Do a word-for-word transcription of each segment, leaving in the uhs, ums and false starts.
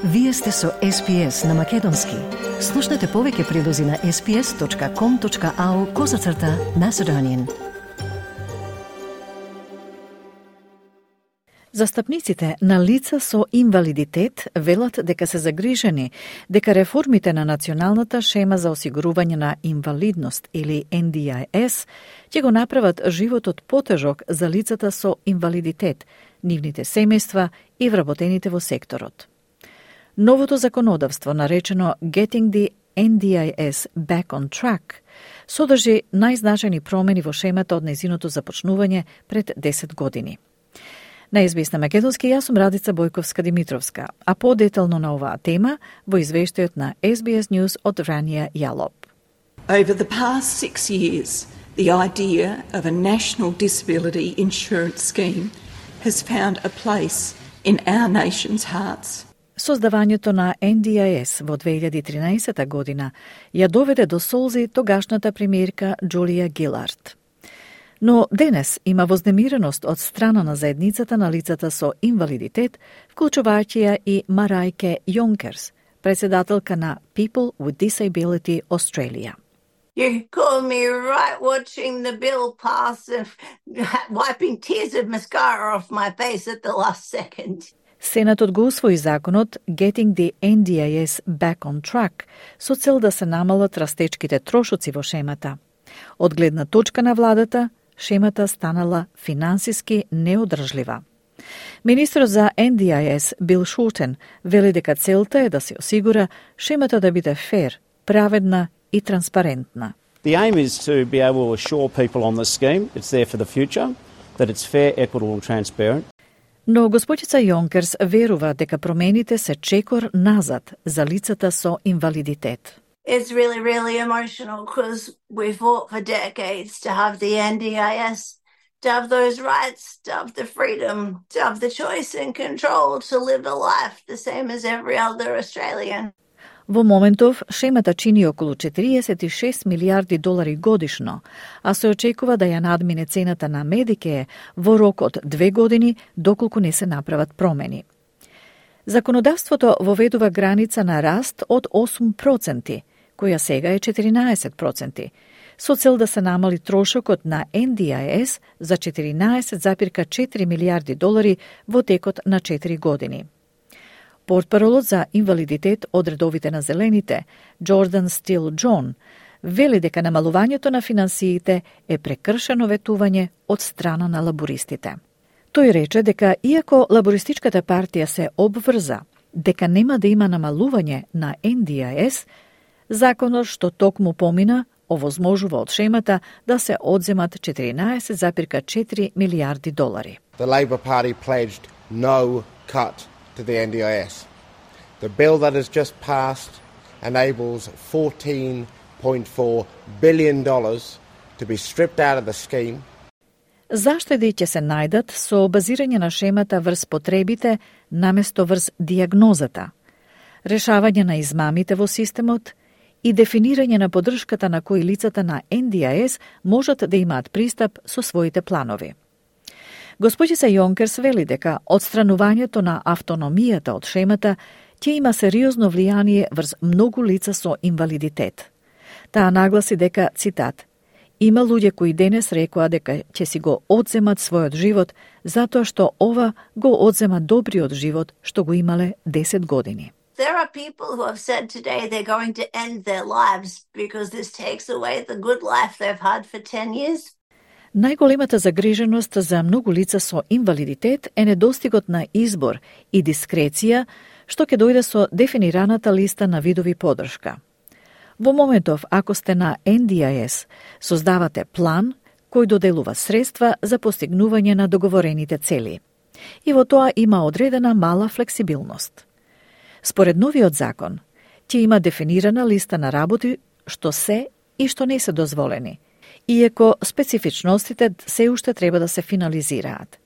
Вие сте со Ес Би Ес на Македонски. Слушнете повеќе прилози на ес би ес точка ком точка ау козацрта Macedonian. Застапниците на лица со инвалидитет велат дека се загрижени дека реформите на Националната шема за осигурување на инвалидност или Ен Ди Ај Ес ќе го направат животот потежок за лицата со инвалидитет, нивните семејства и вработените во секторот. Новото законодавство, наречено Getting the Ен Ди Ај Ес Back on Track, содржи најзначајни промени во шемата од нејзиното започнување пред десет години. На Ес Би Ес на Македонски, јас сум Радица Бојковска-Димитровска, а подетално на оваа тема во извештајот на Ес Би Ес News од Вранија Јалоп. Over the past six years, the idea of a national disability insurance scheme has found a place in our nation's hearts. Создавањето на Ен Ди Ај Ес во две илјади и тринаесета година ја доведе до солзи тогашната премиерка Джулија Гилард. Но денес има вознемиреност од страна на заедницата на лицата со инвалидитет, вклучувајќи ја и Марајке Јонкерс, председателка на People with Disability Australia. You caught me right watching the bill pass and wiping tears of mascara off my face at the last second. Сенатот го усвои законот Getting the Ен Ди Ај Ес Back on Track со цел да се намалат растечките трошоци во шемата. Од гледна точка на владата, шемата станала финансиски неодржлива. Министрот за Ен Ди Ај Ес Бил Шултен вели дека целта е да се осигура шемата да биде фер, праведна и транспарентна. The aim is to be able to assure people on the scheme it's there for the future, that it's fair, equitable and transparent. Но господица Јонкерс верува дека промените се чекор назад за лицата со инвалидитет. It's really, really emotional because we fought for decades to have the Ен Ди Ај Ес, to have those rights, to have the freedom, to have the choice and control to live a life the same as every other Australian. Во моментов, шемата чини околу четириесет и шест милијарди долари годишно, а се очекува да ја надмине цената на Медикеј во рок од две години, доколку не се направат промени. Законодавството воведува граница на раст од осум проценти, која сега е четиринаесет проценти, со цел да се намали трошокот на Ен Ди Ај Ес за четиринаесет зарез четири милијарди долари во текот на четири години. Портпаролот за инвалидитет од редовите на Зелените, Джордан Стил Џон, вели дека намалувањето на финансиите е прекршено ветување од страна на лабористите. Тој рече дека иако лабористичката партија се обврза дека нема да има намалување на Ен Ди Ај Ес, законот што токму помина овозможува од шемата да се одземат четиринаесет зарез четири милијарди долари. The Labor Party pledged no cut to the Ен Ди Ај Ес. The bill that has just passed enables fourteen point four billion dollars to be stripped out of the scheme. Заштеди ќе се најдат со базирање на шемата врз потребите наместо врз дијагнозата, решавање на измамите во системот и дефинирање на поддршката на кои лицата на Ен Ди Ај Ес можат да имаат пристап со своите планови. Господица Јонкерс вели дека одстранувањето на автономијата од шемата ќе има сериозно влијание врз многу лица со инвалидитет. Таа нагласи дека, цитат, има луѓе кои денес рекоа дека ќе си го одземат својот живот затоа што ова го одзема добриот живот што го имале десет години. There are people who have said today they're going to end their lives because this takes away the good life they've had for ten years. Најголемата загриженост за многу лица со инвалидитет е недостигот на избор и дискреција, што ќе дојде со дефинираната листа на видови поддршка. Во моментов, ако сте на Ен Ди Ај Ес, создавате план кој доделува средства за постигнување на договорените цели. И во тоа има одредена мала флексибилност. Според новиот закон, ќе има дефинирана листа на работи што се и што не се дозволени, иако специфичностите се уште треба да се финализираат.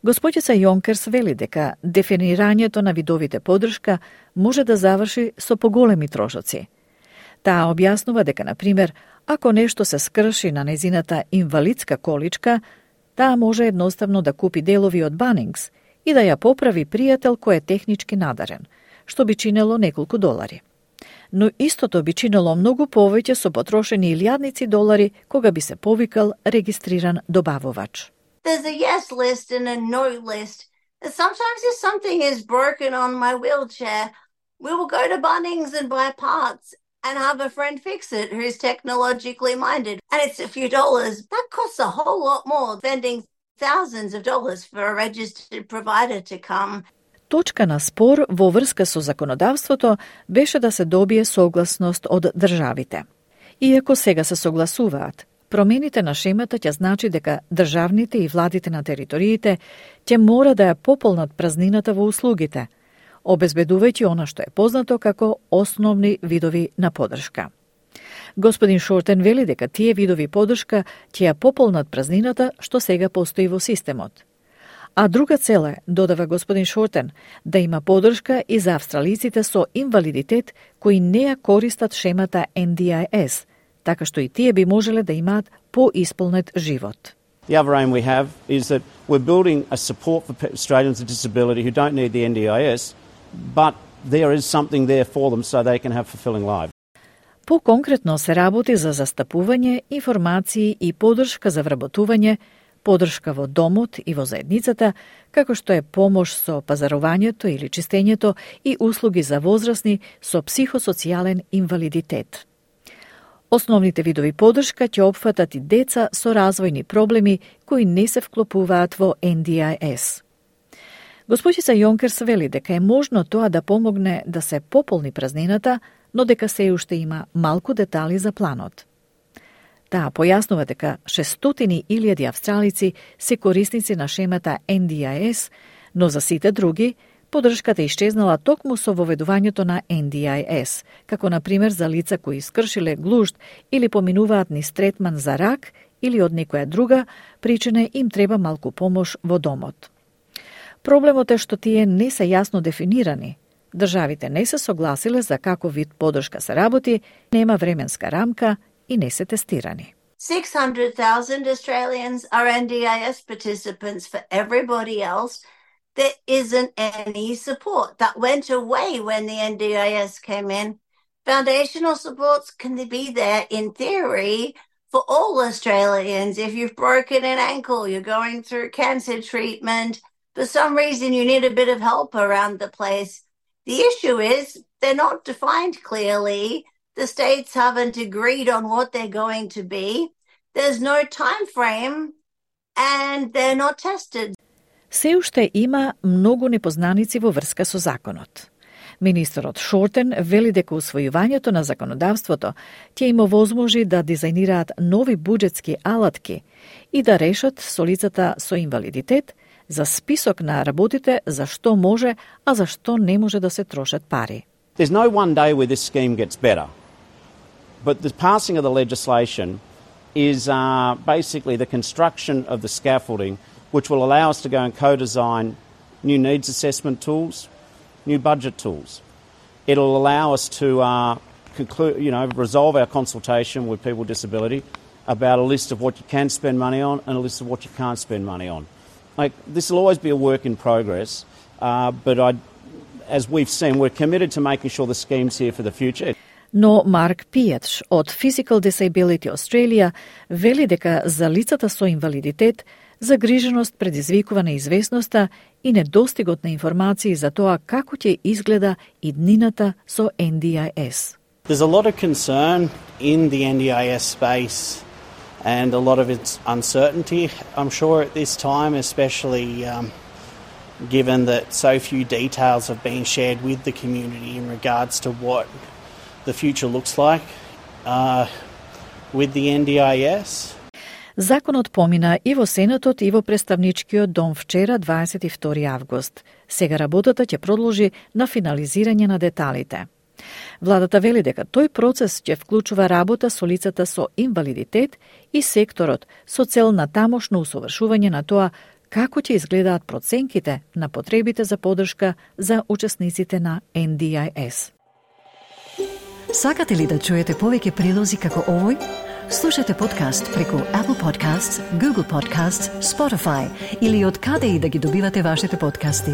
Господица Јонкерс вели дека дефинирањето на видовите поддршка може да заврши со поголеми трошоци. Таа објаснува дека, на пример, ако нешто се скрши на незината инвалидска количка, таа може едноставно да купи делови од Банингс и да ја поправи пријател кој е технички надарен, што би чинело неколку долари. Но истото би чинело многу повеќе со потрошени илјадници долари кога би се повикал регистриран добавувач. There's a yes list and a no list. Sometimes if something is broken on my wheelchair, we will go to Bunnings and buy parts and have a friend fix it who's technologically minded. And it's a few dollars. That costs a whole lot more than spending thousands of dollars for a registered provider to come. Точка на спор во врска со законодавството беше да се добие согласност од државите. Иако сега се согласуваат, промените на шемата ќе значи дека државните и владите на териториите ќе мора да ја пополнат празнината во услугите, обезбедувајќи она што е познато како основни видови на поддршка. Господин Шортен вели дека тие видови поддршка ќе ја пополнат празнината што сега постои во системот. А друга цел е, додава господин Шортен, да има поддршка и за австралиците со инвалидитет кои не ја користат шемата Ен Ди Ај Ес, така што и тие би можеле да имаат поисполнет живот. The other aim we have is that we're building a support for Australians with disability who don't need the Ен Ди Ај Ес, but there is something there for them so they can have fulfilling lives. По-конкретно се работи за застапување, информации и поддршка за вработување, поддршка во домот и во заедницата, како што е помош со пазарувањето или чистењето и услуги за возрастни со психосоцијален инвалидитет. Основните видови поддршка ќе опфатат и деца со развојни проблеми кои не се вклопуваат во Ен Ди Ај Ес. Госпоđица Јонкерс вели дека е можно тоа да помогне да се пополни празнината, но дека се уште има малку детали за планот. Таа појаснува дека шестстотини илјади австралици се корисници на шемата Ен Ди Ај Ес, но за сите други поддршката исчезнала токму со воведувањето на Ен Ди Ај Ес, како на пример за лица кои скршиле глушт или поминуваат низ третман за рак или од некоја друга причина им треба малку помош во домот. Проблемот е што тие не се јасно дефинирани. Државите не се согласиле за каков вид поддршка се работи, нема временска рамка и не се тестирани. six hundred thousand Australians are Ен Ди Ај Ес participants. For everybody else, there isn't any support. That went away when the Ен Ди Ај Ес came in. Foundational supports can be there in theory for all Australians. If you've broken an ankle, you're going through cancer treatment, for some reason you need a bit of help around the place. The issue is they're not defined clearly. The states haven't agreed on what they're going to be. There's no time frame and they're not tested. Се уште има многу непознаници во врска со законот. Министерот Шортен вели дека усвојувањето на законодавството ќе им овозможи да дизајнираат нови буџетски алатки и да решат со лицата со инвалидитет за список на работите за што може, а за што не може да се трошат пари. There's no one day where this scheme gets better, but the passing of the legislation is uh, basically the construction of the scaffolding which will allow us to go and co-design new needs assessment tools, new budget tools. It'll allow us to uh, conclude, you know, resolve our consultation with people with disability about a list of what you can spend money on and a list of what you can't spend money on. Like, this will always be a work in progress, uh, but I, as we've seen, we're committed to making sure the scheme's here for the future. Но Марк Пијач од Physical Disability Australia вели дека за лицата со инвалидитет загриженост предизвикува неизвестноста и недостигот на информации за тоа како ќе изгледа иднината со Ен Ди Ај Ес. There's a lot of concern in the Ен Ди Ај Ес space and a lot of its uncertainty, I'm sure, at this time, especially um, given that so few details have been shared with the community in regards to what the future looks like uh, with the Ен Ди Ај Ес. Законот помина и во Сенатот и во Представничкиот дом вчера, дваесет и втори август. Сега работата ќе продолжи на финализирање на деталите. Владата вели дека тој процес ќе вклучува работа со лицата со инвалидитет и секторот со цел на тамошно усовршување на тоа како ќе изгледаат проценките на потребите за поддршка за учесниците на Ен Ди Ај Ес. Сакате ли да чуете повеќе прилози како овој? Слушате подкаст преку Apple Podcasts, Google Podcasts, Spotify или од каде и да ги добивате вашите подкасти.